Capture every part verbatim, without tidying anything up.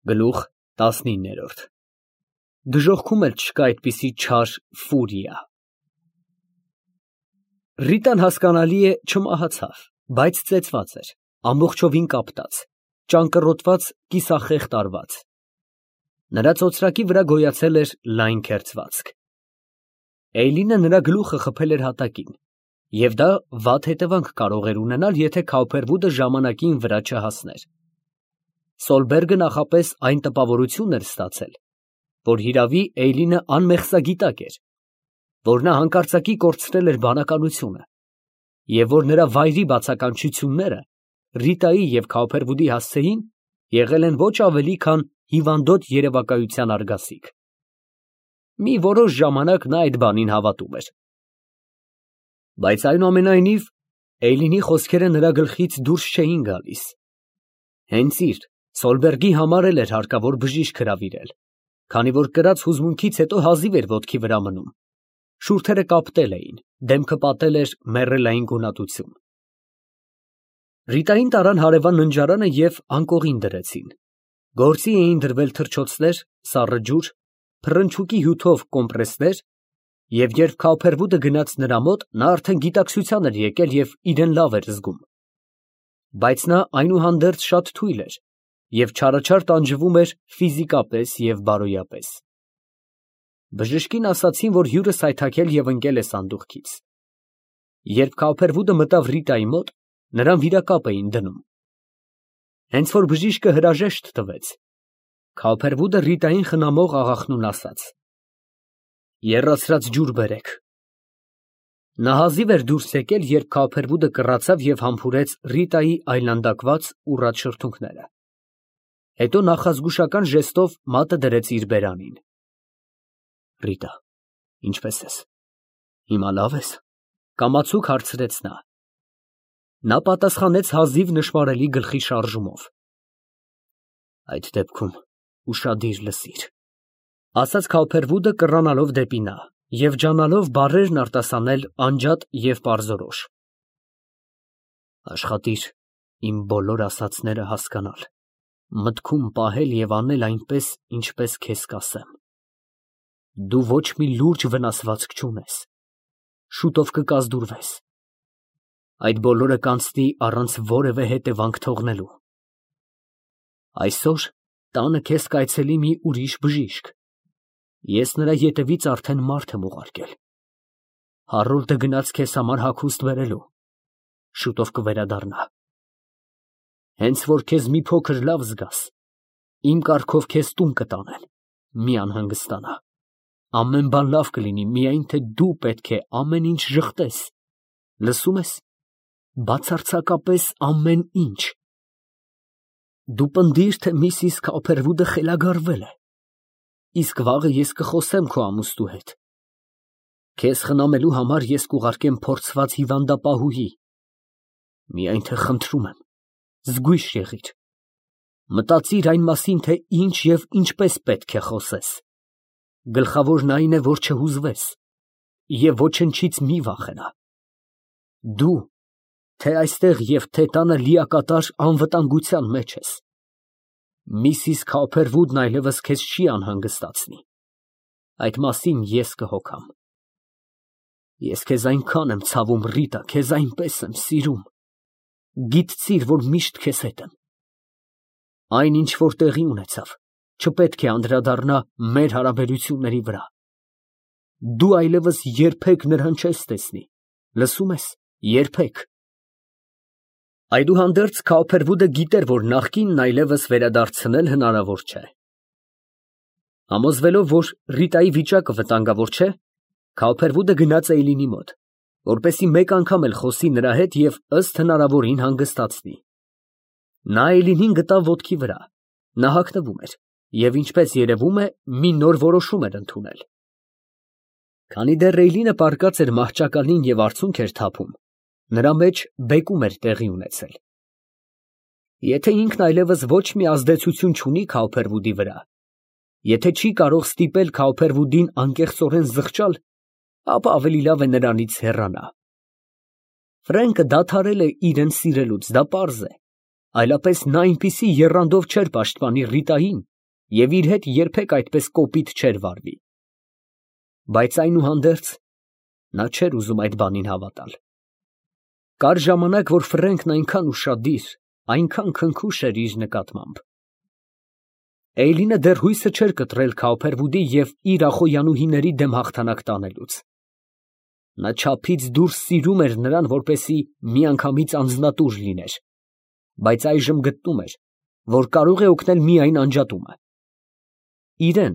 Գլուխ տասնինը Դժոխքում էլ չկա այդպիսի չար ֆուրիա։ Ռիտան հասկանալի է չմահացավ, բայց ծեծված էր, ամբողջովին կապտած, ճանկռոտված, կիսախեղդ արված։ Նրա ծոծրակի վրա գոյացել էր լայն քերծվածք։ Էյլինը նրա գլուխը խփել էր հատակին, և դա վատ հետևանք կարող էր ունենալ, եթե Քաուփերվուդը ժամանակին վրա չհասներ։ Սոլբերգը նախապես այն տպավորությունն էր ստացել, որ հիրավի Էյլինը անմեղսագիտակ էր, որ նա հանկարծակի կորցրել էր բանականությունը, և որ նրա վայրի բացականչությունները Ռիտայի և Քաուփերվուդի հասցեին եղել են ոչ ավելի, քան հիվանդոտ երևակայության արգասիք։ Մի որոշ ժամանակ նա այդ բանին հավատում էր։ Բայց այնուամենայնիվ Էյլինի խոսքերը նրա գլխից դուրս չէին գալիս։ Հենց իր՝ Սոլբերգի համար էլ էր հարկավոր բժիշկ հրավիրել, քանի որ կրած հուզմունքից հետո հազիվ էր ոտքի վրա մնում, շուրթերը կապտել էին, դեմքը պատել էր մեռելային գունատություն։ Ռիտային տարան հարևան ննջարանը և անկողին դրեցին։ Գործի էին դրվել թռչոցներ, սառը ջուր, փռնչուկի հյութով կոմպրեսներ, և երբ Քաուփերվուդը գնաց նրա մոտ, նա արդեն գիտակցության էր եկել և իրան լավ էր զգում։ Բայց նա այնուհանդերձ շատ թույլ էր և չարաչար տանջվում էր ֆիզիկապես և բարոյապես։ Բժշկին ասացին, որ հյուրը սայթաքել և ընկել է սանդուղքից։ Երբ Քաուփերվուդը մտավ Ռիտայի մոտ, նրան վիրակապ էին դնում։ Հենց որ բժիշկը հրաժեշտ տվեց, Քաուփերվուդը Ռիտային խնամող աղախնուն ասաց. «Եռացրած ջուր բերեք»։ Նա հազիվ էր դուրս եկել, երբ Քաուփերվուդը կռացավ և համբուրեց Ռիտայի այլանդակված, ուռած շրթունքները։ Հետո նախազգուշական ժեստով մատը դրեց իր բերանին։ «Ռիտա, ինչպե՞ս ես, հիմա լավ ես», ֊ կամացուկ հարցրեց նա։ Նա պատասխանեց հազիվ նշմարելի գլխի շարժումով։ «Այդ դեպքում ուշադիր լսիր», ֊ ասաց Քաուփերվուդը կռանալով դեպի նա և ջանալով բառերն արտասանել անջատ և պարզորոշ։ «Աշխատիր իմ բոլոր ասածները հասկանալ, մտքում պահել և անել այնպես, ինչպես քեզ կասեմ։ Դու ոչ մի լուրջ վնասվածք չունես, շուտով կկազդուրվես։ Այդ բոլորը կանցնի առանց որևէ հետևանք թողնելու։ Այսօր տանը քեզ կայցելի մի ուրիշ բժիշկ, ես նրա ետևից արդեն մարդ եմ ուղարկել։ Հարրորդը գնաց քեզ համար հագուստ բերելու, շուտով կվերադառնա։ Հենց որ քեզ մի փոքր լավ զգաս, իմ կարգով քեզ տուն կտանեն, մի անհանգստանա։ Ամեն բան լավ կլինի, միայն թե դու պետք է ամեն ինչ ժխտես, լսո՞ւմ ես, բացարձակապես ամեն ինչ։ Դու պնդիր, թե միսիս Քաուփերվուդը խելագարվել է, իսկ վաղը ես կխոսեմ քո ամուսնու հետ։ Քեզ խնամելու համար ես կուղարկեմ փորձված հիվանդապահուհի։ Միայն թե խնդրում եմ, զգույշ եղիր։ Մտածիր այն մասին, թե ինչ և ինչպես պետք է խոսես։ Գլխավորն այն է, որ չհուզվես և ոչնչից մի վախենա։ Դու թե այստեղ և թե տանը լիակատար անվտանգության մեջ ես։ Միսիս Քաուփերվուդն այլևս քեզ չի անհանգստացնի, այդ մասին ես կհոգամ։ Ես քեզ այնքան եմ ցավում, Ռիտա, քեզ այնպես եմ սիրում, գիտցիր, որ միշտ քեզ հետ եմ։ Այն, ինչ որ տեղի ունեցավ, չպետք է անդրադառնա մեր հարաբերությունների վրա։ Դու այլևս երբեք նրան չես տեսնի, լսո՞ւմ ես, երբեք։ Այդուհանդերձ Քաուփերվուդը գիտեր, որ նախկինն այլևս վերադարձնել հնարավոր չէ։ Համոզվելով, որ Ռիտայի վիճակը վտանգավոր չէ, Քաուփերվուդը գնաց Էյլինի մոտ, որպեսզի մեկ անգամ էլ խոսի նրա հետ և ըստ հնարավորին հանգստացնի։ Նա Էյլինին գտավ ոտքի վրա, նա հագնվում էր և, ինչպես երևում է, մի նոր որոշում էր ընդունել։ Քանի դեռ Էյլինը պառկած էր մահճակալին և արցունք էր թափում, նրա մեջ բեկում էր տեղի ունեցել։ Եթե ինքն այլևս ոչ մի ազդեցություն չունի Քաուփերվուդի վրա, եթե չի կարող ստիպել Քաուփերվուդին անկեղծորեն զղջալ, ապա ավելի լավ է նրանից հեռանա։ Ֆրենկը դադարել է իրան սիրելուց, դա պարզ է, այլապես նա այնպիսի եռանդով չէր պաշտպանի Ռիտային, և իր հետ երբեք այդպես կոպիտ չէր վարվի։ Բայց այնուհանդերձ նա չէր ուզում այդ բանին հավատալ։ Կար ժամանակ, որ Ֆրենքն այնքան ուշադիր, այնքան քնքուշ էր իր նկատմամբ։ Էյլինը դեռ հույսը չէր կտրել Քաուփերվուդի և իր ախոյանուհիների դեմ հաղթանակ տանելուց։ Նա չափից դուրս սիրում էր նրան, որպեսզի միանգամից անձնատուր լիներ, բայց այժմ գտնում էր, որ կարող է օգնել միայն անջատումը։ Իրեն,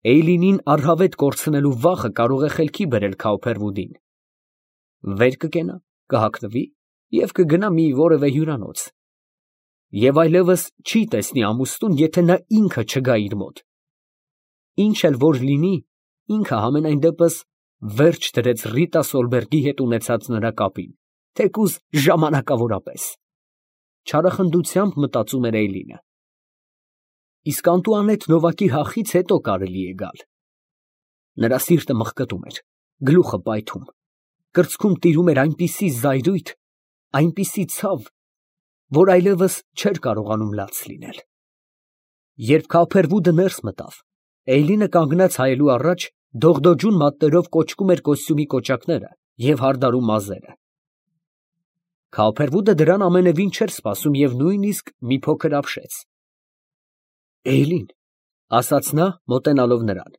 Էյլինին առհավետ կորցնելու վախը կարող է խելքի բերել Քաուփերվուդին։ Վեր կկենա, կհագնվի և կգնա մի որևէ հյուրանոց։ Եվ այլևս չի տեսնի ամուսնուն, եթե նա ինքը չգա իր մոտ։ Ինչ էլ որ լինի, ինքը համենայն դեպս վերջ դրեց Ռիտա Սոլբերգի հետ ունեցած նրա կապին, թեկուզ ժամանակավորապես։ Չարախնդությամբ մտածում էր Էյլինը։ Իսկ Անտուանետ Նովակի հախից հետո կարելի է գալ։ Նրա սիրտը մղկտում էր, գլուխը պայթում, կրծքում տիրում էր այնպիսի զայրույթ, այնպիսի ցավ, որ այլևս չէր կարողանում լաց լինել։ Երբ Քաուփերվուդը ներս մտավ, Էյլինը կանգնած հայելու առաջ դողդոջուն մատներով կոճկում էր կոստյումի կոճակները և հարդարում մազերը։ Քաուփերվուդը դրան ամենևին չէր սպասում և նույնիսկ մի փոքր ապշեց։ Էյլին, ֊ ասաց նա, մոտենալով նրան,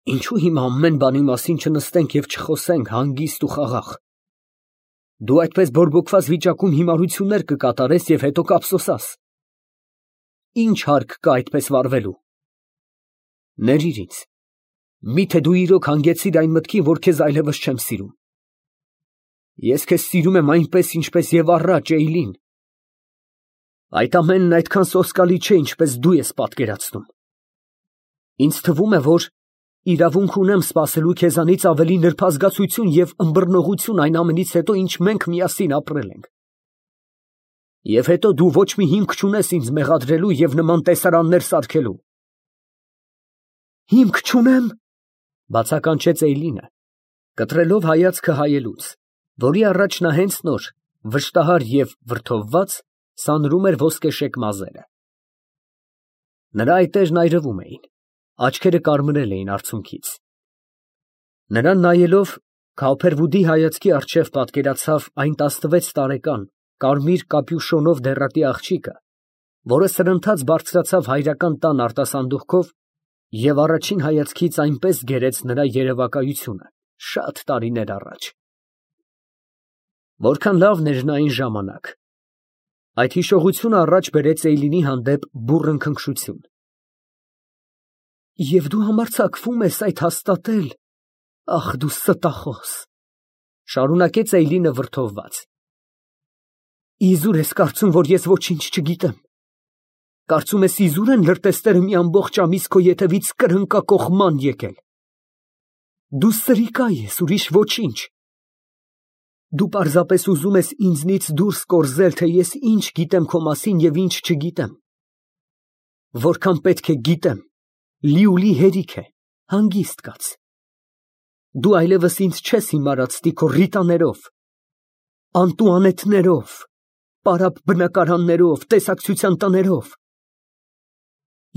֊ ինչո՞ւ հիմա ամեն բանի մասին չնստենք և չխոսենք հանգիստ ու խաղաղ։ Դու այդպես բորբոքված վիճակում հիմարություններ կկատարես և հետո կափսոսաս։ Ի՞նչ հարկ կա այդպես վարվելու։ Ներիր ինձ, միթե դու իրոք հանգեցիր այն մտքին, որ քեզ այլևս չեմ սիրում։ Ես քեզ սիրում եմ այնպես, ինչպես և առաջ, Էյլին։ Այդ ամենն այդքան սոսկալի չէ, ինչպես դու ես պատկերացնում։ Ինձ թվում է, որ իրավունք ունեմ սպասելու քեզանից ավելի նրբազգացություն և ըմբռնողություն այն ամենից հետո, ինչ մենք միասին ապրել ենք։ Եվ հետո դու ոչ մի հիմք չունես ինձ մեղադրելու և նման տեսարաններ սարքելու։ Հիմք չունեմ, ֊ բացականչեց Էյլինը, կտրելով հայացքը հայելուց, որի առաջ նա հենց նոր, վշտահար և վրդովված, սանրում էր ոսկեշեկ մազերը։ Նրա այտերն այրվում էին, աչքերը կարմրել էին արցունքից։ Նրան նայելով, Քաուփերվուդի հայացքի առջև պատկերացավ այն տասնվեց տարեկան կարմիր կապյուշոնով դեռատի աղջիկը, որը սրընթաց բարձրացավ հայրական տան արտասանդուղքով և առաջին հայացքից այնպես գերեց նրա երևակայությունը շատ տարիներ առաջ։ Որքան լավն էր նա այն ժամանակ։ Այդ հիշողությունը առաջ բերեց Էյլինի հանդեպ բուռն քնքշություն։ Եվ դու համարձակվում ես այդ հաստատել, ախ դու ստախոս, ֊ շարունակեց Էյլինը վրդովված։ Իզուր ես կարծում, որ ես ոչինչ չգիտեմ։ Կարծում ես իզուր են լրտեսները մի ամբողջ ամիս քո ետևից կրնկակոխ ման եկել։ Դու սրիկա ես, ուրիշ ոչինչ։ Դու պարզապես ուզում ես ինձնից դուրս կորզել, թե ես ինչ գիտեմ քո մասին և ինչ չգիտեմ։ Որքան պետք է գիտեմ, լիուլի հերիք է, հանգիստ կաց։ Դու այլևս ինձ չես հիմարացնի քո Ռիտաներով, Անտուանետներով, պարապ բնակարաններով, տեսակցության տներով։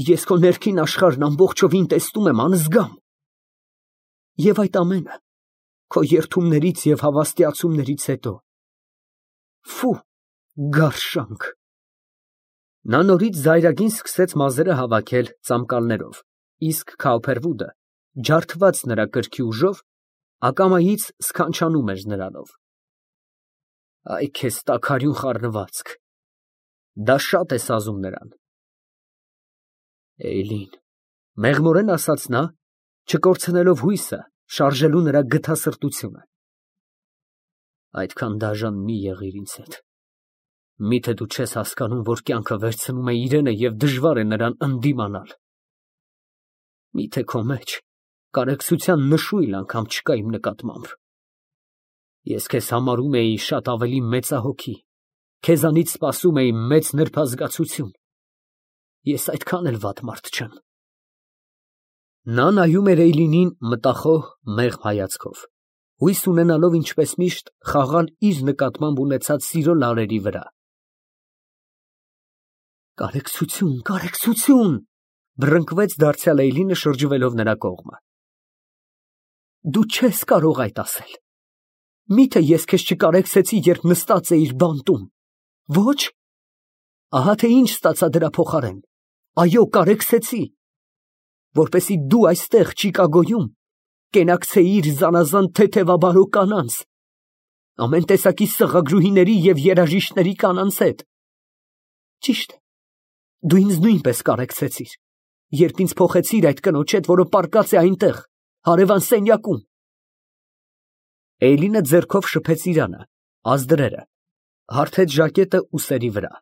Ես քո ներքին աշխարհն ամբողջովին տեսնում եմ անզգամ։ Եվ այդ ամենը քո երդումներից և հավաստիացումներից հետո։ Ֆու, գարշանք։ Նա նորից զայրագին սկսեց մազերը հավաքել ծամկալներով, իսկ Քաուփերվուդը, ջարդված նրա կրքի ուժով, ակամայից սքանչանում էր նրանով։ Այ քեզ տաքարյուն խառնվածք, դա շատ է սազում նրան։ Էյլին, մեղմորեն ասաց նա, չկորցնելով հույսը, շարժելու նրա գթասրտությունը։ Այդքան դաժան մի եղիր ինձ հետ։ Միթե դու չես հասկանում, որ կյանքը վերցնում է իրենը և դժվար է նրան ընդդիմանալ։ Միթե քո մեջ կարեկցության նշույլ անգամ չկա իմ նկատմամբ։ Ես քեզ համարում էի շատ ավելի մեծահոգի, քեզանից սպասում էի մեծ նրբազգացություն։ Ես այդքան էլ վատ մարդ չեմ։ Նա նայում էր Էյլինին մտախոհ, մեղմ հայացքով, հույս ունենալով ինչպես միշտ խաղալ իր նկատմամբ ունեցած սիրո լարերի վրա։ Կարեկցություն, կարեկցություն, բռնկվեց դարձյալ Էյլինը շրջվելով նրա կողմը։ Դու չես կարող այդ ասել։ Միթե ես քեզ չկարեկցեցի, երբ նստած էիր բանտում։ Ոչ։ Ահա թե ինչ ստացա դրա փոխարեն։ Այո, կարեկցեցի, որպեսզի դու այստեղ Չիկագոյում կենակցեիր զանազան թեթևաբարո կանանց, ամեն տեսակի սղագրուհիների և երաժիշտների կանանց հետ։ Ճիշտ է, դու ինձ նույնպես կարեկցեցիր, երբ ինձ փոխեցիր այդ կնոջ հետ, որը պառկած է այնտեղ, հարևան սենյակում։ Էյլինը ձեռքով շփեց իրանը, ազդրերը, հարթեց ժակետը ուսերի վրա,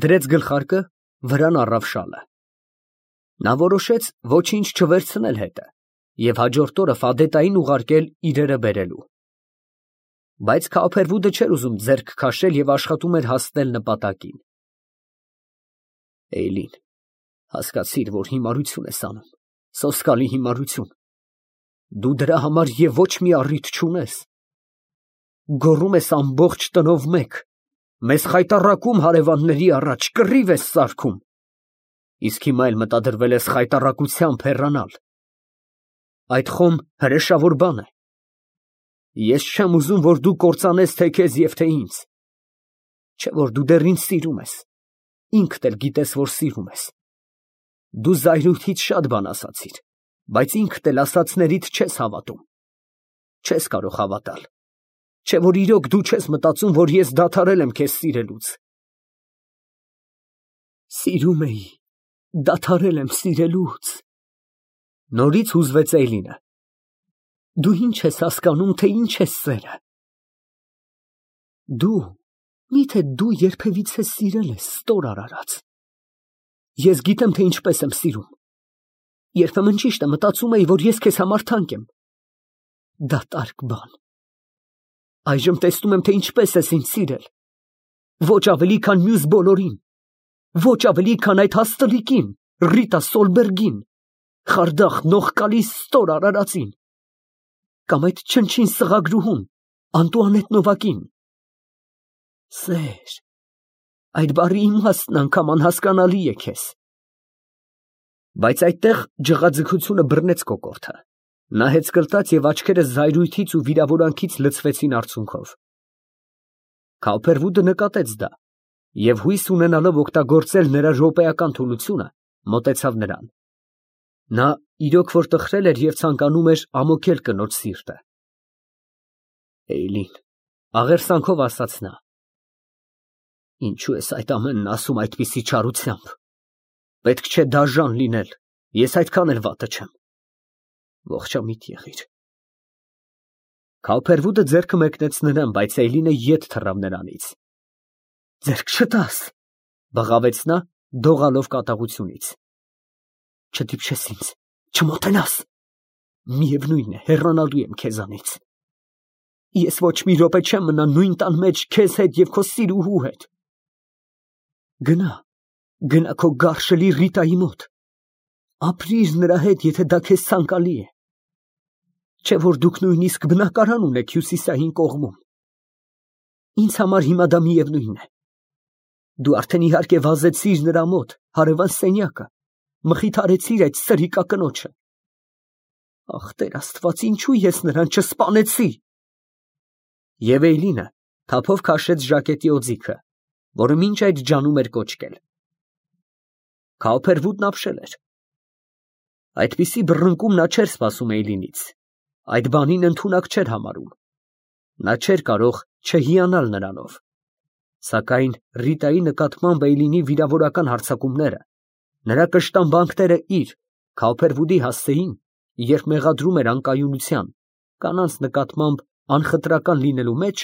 դրեց գլխարկը, վրան առավ շալը։ Նա որոշեց ոչինչ չվերցնել հետը և հաջորդ օրը Ֆադետային ուղարկել իրերը բերելու։ Բայց Քաոփերվուդը չէր ուզում ձեռք քաշել և աշխատում էր հասնել նպատակին։ Էյլին, հասկացիր, որ հիմարություն ես անում, սոսկալի հիմարություն։ Դու դրա համար և ոչ մի առիթ չունես։ Գոռում ես ամբողջ տնով մեկ, մեզ խայտառակում հարևանների առաջ, կռիվ ես սարքում, իսկ հիմա էլ մտադրվել ես խայտառակությամբ հեռանալ։ Այդ խոմ հրեշավոր բան է։ Ես չեմ ուզում, որ դու կործանես թե քեզ և թե ինձ։ Չէ որ դու դեռ ինձ սիրում ես, ինքդ էլ գիտես, որ սիրում ես։ Դու զայրույթից շատ բան ասացիր, բայց ինքդ էլ ասածներիդ չես հավատում։ Չես կարող հավատալ, չէ որ իրոք դու չես մտածում, որ ես դադարել եմ քեզ սիրելուց։ Սիրում էի, դադարել եմ սիրելուց։ Նորից հուզվեց Էյլինը։ Դու ինչ ես հասկանում, թե ինչ է սերը։ Դու, միթե դու երբևիցե սիրել ես ստոր արարած։ Ես գիտեմ, թե ինչպես եմ սիրում։ Երբեմն ճիշտ է մտածում էի, որ ես քեզ համար թանկ եմ։ Դատարկ բան։ Այժմ տեսնում եմ, թե ինչպես ես ինձ սիրել։ Ոչ ավելի, քան մյուս բոլորին։ Ոչ ավելի, քան այդ հաստլիկին, Ռիտա Սոլբերգին, խարդախ նողկալի ստոր արարածին։ Կամ այդ չնչին սղագրուհուն, Անտուանետ Նովակին։ Սեր, այդ բառի իմաստն անգամ անհասկանալի է քեզ։ Բայց այդտեղ ջղաձգությունը բռնեց կոկորդը։ Նա հեծկլտաց և աչքերը զայրույթից ու վիրավորանքից լցվեցին արցունքով։ Քաոփերվուդը նկատեց դա և հույս ունենալով օգտագործել նրա րոպեական թուլությունը, մոտեցավ նրան։ Նա իրոք որ տխրել էր և ցանկանում էր ամոթել կնոջ սիրտը։ Էյլին, աղերսանքով ասաց նա, ինչու ես այդ ամենն ասում այդպիսի չարությամբ։ Պետք չէ դաժան լինել, ես այդքան էլ վատը չեմ։ Ողջամիտ եղիր։ Քաոփերվուդը ձեռքը մեկնեց նրան, բայց Էյլինը ետ թռավ նրանից։ Ձեռք չտաս, բղավեց նա, դողալով կատաղությունից։ Չդիպչես ինձ, չմոտենաս։ Միևնույն է, հեռանալու եմ քեզանից։ Ես ոչ մի րոպե չեմ մնա նույն տան մեջ քեզ հետ և քո սիրուհու հետ։ Գնա, գնա քո գարշելի Ռիտայի մոտ։ Ապրիր նրա հետ, եթե դա քեզ ցանկալի է։ Չէ որ դուք նույնիսկ բնակարան ունեք հյուսիսային կողմում։ Ինձ համար հիմա դա միևնույն է։ Դու արդեն իհարկե վազեցիր նրա մոտ, հարևան սենյակը, մխիթարեցիր այդ սրիկա կնոջը։ Ախ, Տեր Աստված, ինչու ես նրան չսպանեցի։ Եվ Էյլինը թափով քաշեց ժակետի օձիքը, որը մինչ այդ ջանում էր կոճկել։ Քաոփերվուդն ապշել էր։ Այդպիսի բռնկում նա չէր սպասում Էյլինից, այդ բանին ընդունակ չէր համարում։ Նա չէր կարող չհիանալ նրանով։ Սակայն Ռիտայի նկատմամբ Էյլինի վիրավորական հարձակումները, նրա կշտամբանքները իր, Քաոփերվուդի հասցեին, երբ մեղադրում էր անկայունության, կանանց նկատմամբ անխտրական լինելու մեջ,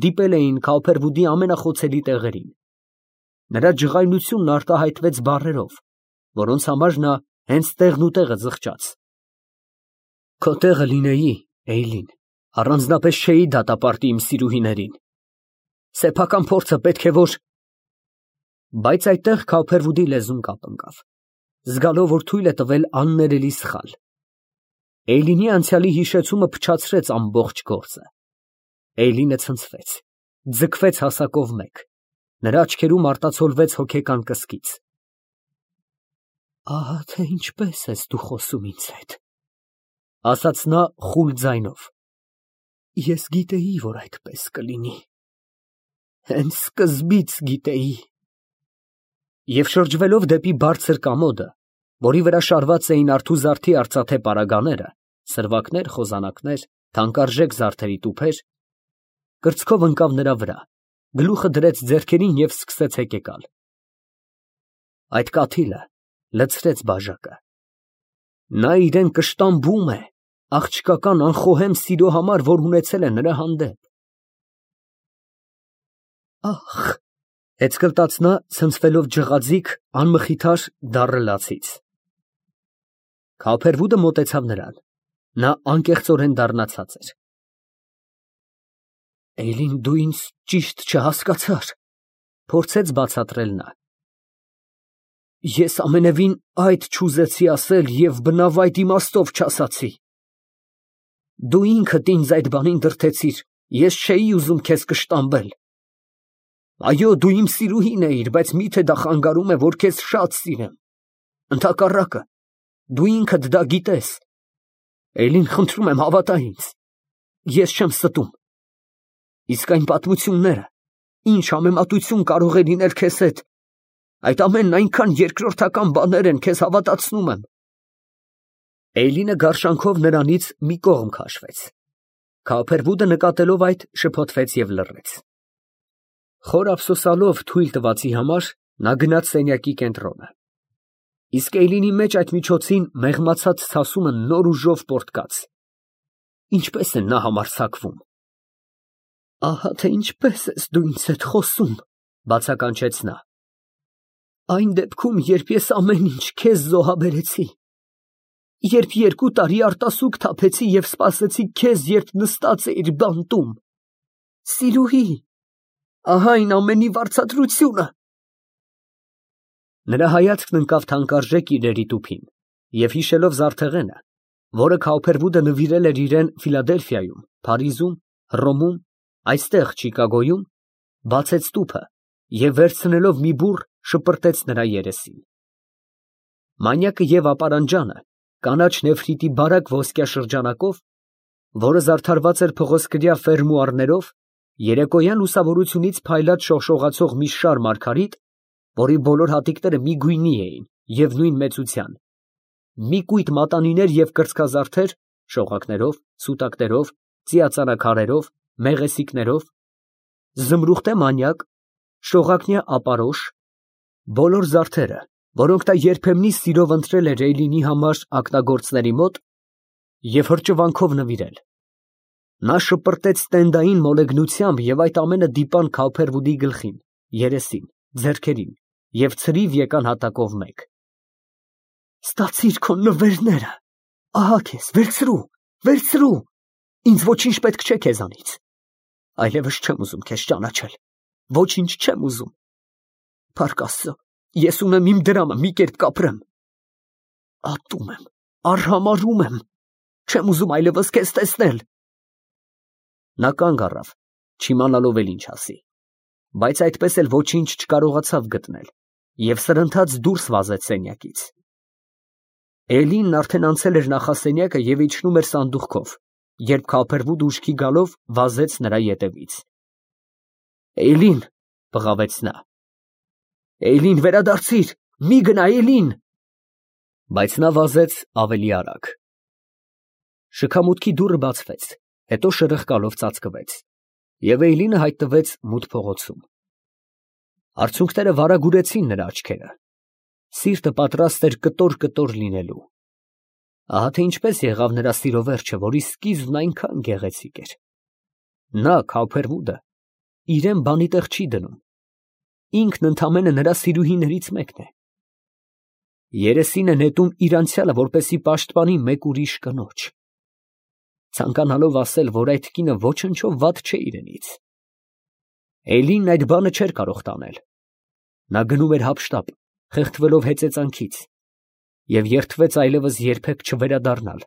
դիպել էին Քաոփերվուդի ամենախոցելի տեղերին։ Նրա ջղայնությունն արտահայտվեց բառերով, որոնց համար նա հենց տեղն ու տեղը զղջաց։ Քո տեղը լինեի, Էյլին, առանձնապես չէի դատապարտի իմ սիրուհիներին։ Սեփական փորձը պետք է որ… Բայց այդտեղ Քաոփերվուդի լեզուն կապ ընկավ, զգալով, որ թույլ է տվել աններելի սխալ։ Էյլինի անցյալի հիշեցումը փչացրեց ամբողջ գործը։ Էյլինը ցնցվեց, ձգվեց հասակով մեկ, Նրա աչքերում արտացոլվեց հոգեկան կսկիծ։ Ահա թե ինչպես ես դու խոսում ինձ հետ, ասաց նա խուլ ձայնով։ Ես գիտեի, որ այդպես կլինի, հենց սկզբից գիտեի։ Եվ շրջվելով դեպի բարձր կամոդը, որի վրա շարված էին արթուզարդի արծաթե պարագաները, սրվակներ, խոզանակներ, թանկարժեք զարդերի տուփեր, կրծքով ընկավ նրա վրա, գլուխը դրեց ձեռքերին և սկսեց հեկեկալ։ Այդ կաթիլը լցրեց բաժակը։ Նա իրեն կշտամբում է աղջկական անխոհեմ սիրո համար, որ ունեցել է նրա հանդեպ։ Ախ, հեծկլտաց նա, ցնցվելով ջղաձիգ, անմխիթար դառը լացից։ Քավփերվուդը մոտեցավ նրան, նա անկեղծորեն դառնացած էր։ Էլին, դու ինձ ճիշտ չհասկացար, փորձեց բացատրել նա։ Ես ամենևին այդ չուզեցի ասել և բնավ այդ իմաստով չասացի։ Դու ինքդ ինձ այդ բանին դրդեցիր, ես չէի ուզում քեզ կշտամբել։ Այո, դու իմ սիրուհին էիր, բայց մի՞թե դա խանգարում է, որ քեզ շատ սիրեմ։ Ընդհակառակը, դու ինքդ դա գիտես։ Էլին, խնդրում եմ, հավատա ինձ, ես չեմ ստում։ Իսկ այն պատմությունները, ինչ համեմատություն կարող է լինել քեզ հետ, այդ ամենն այնքան երկրորդական բաներ են, քեզ հավատացնում եմ։ Էյլինը գարշանքով նրանից մի կողմ քաշվեց։ Քավփերվուդը նկատելով այդ, շփոթվեց և լռեց։ Խոր ափսոսալով թույլ տվածի համար, նա գնաց սենյակի կենտրոնը։ Իսկ Էյլինի մեջ այդ միջոցին մեղմացած ցասումը նոր ուժով պոռթկաց։ Ինչպես է նա համարձակվում։ Ահա թե ինչպես ես դու ինձ հետ խոսում, բացականչեց նա։ Այն դեպքում, երբ ես ամեն ինչ քեզ զոհաբերեցի, երբ երկու տարի արտասուք թափեցի և սպասեցի քեզ, երբ նստած էիր բանտում։ Սիրուհի, ահա այն ամենի վարձատրությունը։ Նրա հայացքն ընկավ թանկարժեք իրերի տուփին, և հիշելով զարդեղենը, որը Քավփերվուդը նվիրել էր իրան Ֆիլադելֆիայում, Փարիզում, Հռոմում, այստեղ Չիկագոյում, բացեց տուփը և վերցնելով մի բուռ շպրտեց նրա երեսին։ Մանյակը և ապարանջանը, կանաչ նեֆրիտի բարակ ոսկյա շրջանակով, որը զարդարված էր փղոսկրյա ֆերմուարներով, երեկոյան լուսավորությունից փայլած շողշողացող մի շար մարգարիտ, որի բոլոր հատիկները միգույնի էին և նույն մեծության, մի կույտ մատանիներ և կրծքազարդեր, շողակներով, սուտակներով, ծիածանաքարերով, մեղեսիկներով, զմրուխտե մանյակ, շողակնյա ապարոշ, բոլոր զարդերը, որոնք նա երբեմնի սիրով ընտրել էր Էյլինի համար ակնագործների մոտ և հրճվանքով նվիրել։ Նա շպրտեց տենդային մոլեգնությամբ և այդ ամենը դիպան Քավփերվուդի գլխին, երեսին, ձեռքերին և ցրիվ եկան հատակով մեկ։ Ստացիր քո նվերները, ահա քեզ, վերցրու, վերցրու, ինձ ոչինչ պետք չէ քեզանից։ Այլևս չեմ ուզում քեզ ճանաչել, ոչինչ չեմ ուզում։ Փառք Աստծո, ես ունեմ իմ դրամը, մի կերպ կապրեմ։ Ատում եմ, արհամարհում եմ, չեմ ուզում այլևս քեզ տեսնել։ Նա կանգ առավ, չիմանալով էլ ինչ ասի, բայց այդպես էլ ոչինչ չկարողացավ գտնել և սրընթաց դուրս վազեց սենյակից։ Էլինն արդեն անցել էր նախասենյակը և իջնում էր սանդուղքով, երբ Քավփերվուդը ուշքի գալով վազեց նրա ետևից։ Էյլին, բղավեց նա։ Էյլին, վերադարձիր, մի գնա, Էյլին։ Բայց նա վազեց ավելի արագ։ Շքամուտքի դուռը բացվեց, հետո շրխկալով ծածկվեց, և Էյլինը հայտնվեց մութ փողոցում։ Արցունքները վարագուրեցին նրա աչքերը, սիրտը պատրաստ էր կտոր֊կտոր լինելու։ Ահա թե ինչպես եղավ նրա սիրո վերջը, որի սկիզբն այնքան գեղեցիկ էր։ Նա, Քավփերվուդը, իրան բանի տեղ չի դնում, ինքն ընդամենը նրա սիրուհիներից մեկն է։ Երեսին է նետում իր անցյալը, որպեսզի պաշտպանի մեկ ուրիշ կնոջ, ցանկանալով ասել, որ այդ կինը ոչնչով վատ չէ իրենից։ Էյլինն այդ բանը չէր կարող տանել։ Նա գնում էր հափշտապ, խեղդվելով հեծեծանքից, և երդվեց այլևս երբեք չվերադառնալ,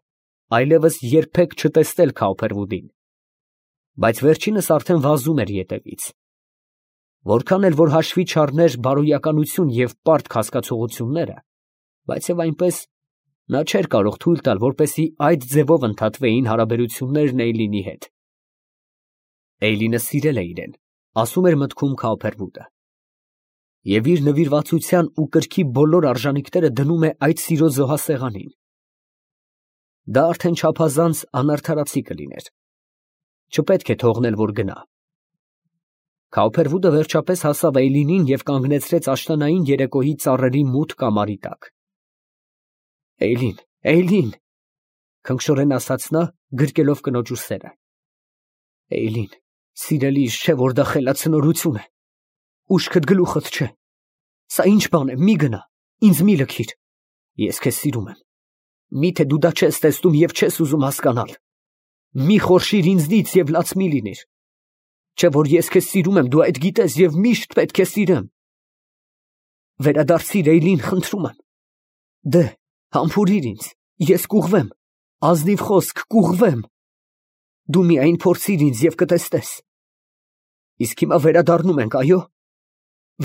այլևս երբեք չտեսնել Քավփերվուդին, բայց վերջինս արդեն վազում էր ետևից։ Որքան էլ որ հաշվի չառներ բարոյականություն և պարտք հասկացողությունները, բայց և այնպես նա չէր կարող թույլ տալ, որպեսզի այդ ձևով ընդհատվեին հարաբերություններն Էյլինի հետ։ Էյլինը սիրել է իրեն, ասում էր մտքում Քավոփերվուդը, և իր նվիրվածության ու կրքի բոլոր արժանիքները դնում է այդ սիրո զոհասեղանին։ Դա արդեն չափազանց անարդարացի կլիներ։ Չպետք է թողնել, որ գնա։ Քավոփերվուդը վերջապես հասավ Էյլինին և կանգնեցրեց աշնանային երեկոյի ծառերի մութ կամարի տակ։ Էյլին, Էյլին, քնքշորեն ասաց նա, գրկելով կնոջ ուսերը։ Էյլին, սիրելիս, չէ՞ որ դա խելացնորություն է։ Ուշքդ գլուխդ չէ։ Սա ինչ բան է, մի գնա, ինձ մի լքիր։ Ես քեզ սիրում եմ։ Միթե դու դա չես տեսնում և չես ուզում հասկանալ։ Մի խորշիր ինձնից և լաց մի լինիր։ Չէ՞ որ ես քեզ սիրում եմ, դու այդ գիտես և միշտ պետք է սիրեմ։ Վերադարձիր, Էյլին, խնդրում եմ։ Դե, համբուրիր ինձ, ես կուղղվեմ, ազնիվ խոսք, կուղղվեմ։ Դու միայն փորձիր ինձ և կտեսնես։ Իսկ հիմա վերադառնում ենք, այո՞։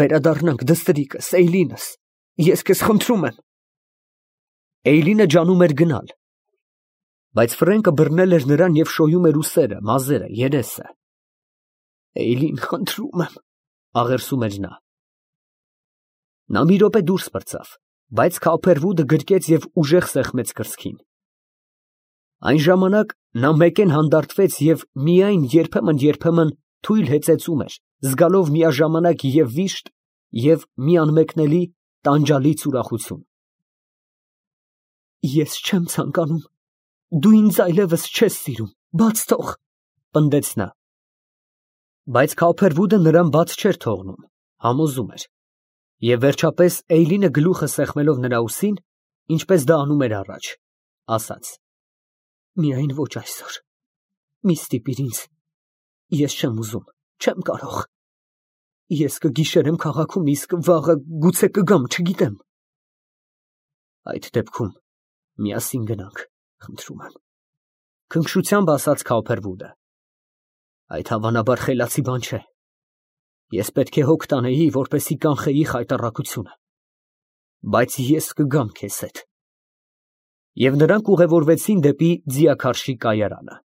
Վերադառնանք, դստրիկս, Էյլինս, ես քեզ խնդրում եմ։ Էյլինը ջանում էր գնալ, բայց Ֆրենկը բռնել էր նրան և շոյում էր ուսերը, մազերը, երեսը։ Էյլին, խնդրում եմ, աղերսում էր նա։ Նա մի րոպե դուրս պրծավ, բայց Քավոփերվուդը գրկեց և ուժեղ սեղմեց կրծքին։ Այն ժամանակ նա մեկեն հանդարտվեց և միայն երբեմն֊երբեմն թույլ հեծեծում էր, զգալով միաժամանակ և վիշտ և մի անմեկնելի տանջալից ուրախություն։ Ես չեմ ցանկանում, դու ինձ այլևս չես սիրում, բաց թող, պնդեց նա։ Բայց Քավոփերվուդը նրան բաց չէր թողնում, համոզում էր։ Եվ վերջապես Էյլինը գլուխը սեղմելով նրա ուսին, ինչպես դա անում էր առաջ, ասաց. Միայն ոչ այսօր, մի ստիպիր ինձ, ես չեմ ուզում, չեմ կարող։ Ես կգիշերեմ քաղաքում, իսկ վաղը գուցե կգամ, չգիտեմ։ Այդ դեպքում միասին գնանք, խնդրում եմ, քնքշությամբ ասաց Քավոփերվուդը։ Այդ հավանաբար խելացի բան չէ։ Ես պետք է հոգ տանեի, որպեսզի կանխեի խայտառակությունը, բայց ես կգամ քեզ հետ։ Եվ նրանք ուղևորվեցին դեպի ձիաքարշի կայարանը։